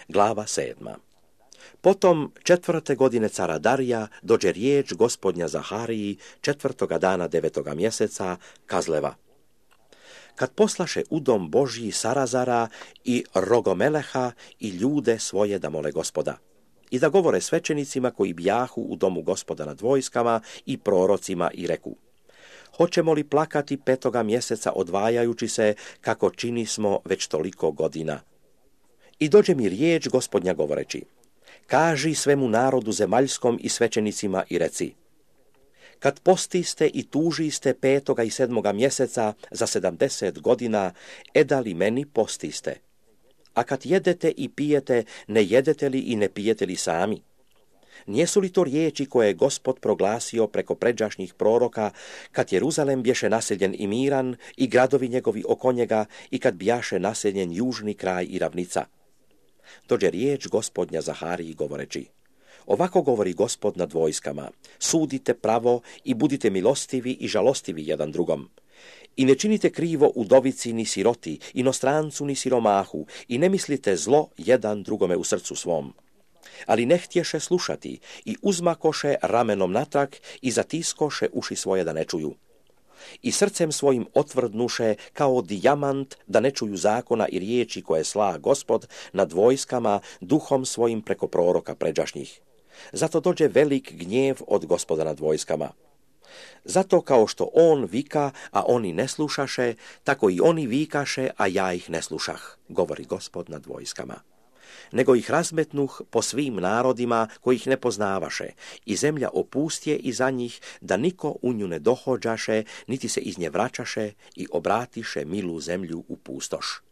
Glava 7. Potom 4. godine cara Darija dođe riječ gospodnja Zahariji 4. dana 9. mjeseca Kazleva. Kad poslaše u dom Božji Sarazara i Rogomeleha i ljude svoje da mole Gospoda i da govore svećenicima koji bjahu u domu Gospoda nad vojskama i prorocima i reku: hoćemo li plakati 5. mjeseca odvajajući se kako čini smo već toliko godina? I dođe mi riječ gospodnja govoreći: kaži svemu narodu zemaljskom i svećenicima i reci: kad postiste i tužiste 5. i 7. mjeseca za 70 godina, edali meni postiste? A kad jedete i pijete, ne jedete li i ne pijete li sami? Nijesu li to riječi koje je Gospod proglasio preko pređašnjih proroka, kad Jeruzalem bješe naseljen i miran i gradovi njegovi oko njega i kad bjaše naseljen južni kraj i ravnica? Dođe riječ gospodnja Zahariji govoreći: ovako govori Gospod nad vojskama: sudite pravo i budite milostivi i žalostivi jedan drugom. I ne činite krivo udovici ni siroti, inostrancu ni siromahu, i ne mislite zlo jedan drugome u srcu svom. Ali ne htješe slušati i uzmakoše ramenom natrag i zatiskoše uši svoje da ne čuju. I srcem svojim otvrdnuše kao dijamant da ne čuju zakona i riječi koje sla Gospod nad vojskama duhom svojim preko proroka pređašnjih. Zato dođe velik gnjev od Gospoda nad vojskama. Zato kao što on vika, a oni ne slušaše, tako i oni vikaše, a ja ih ne slušah, govori Gospod nad vojskama. Nego ih razmetnuh po svim narodima koji ih ne poznavaše, i zemlja opustje iza njih, da niko u nju ne dohođaše, niti se iz nje vraćaše, i obratiše milu zemlju u pustoš.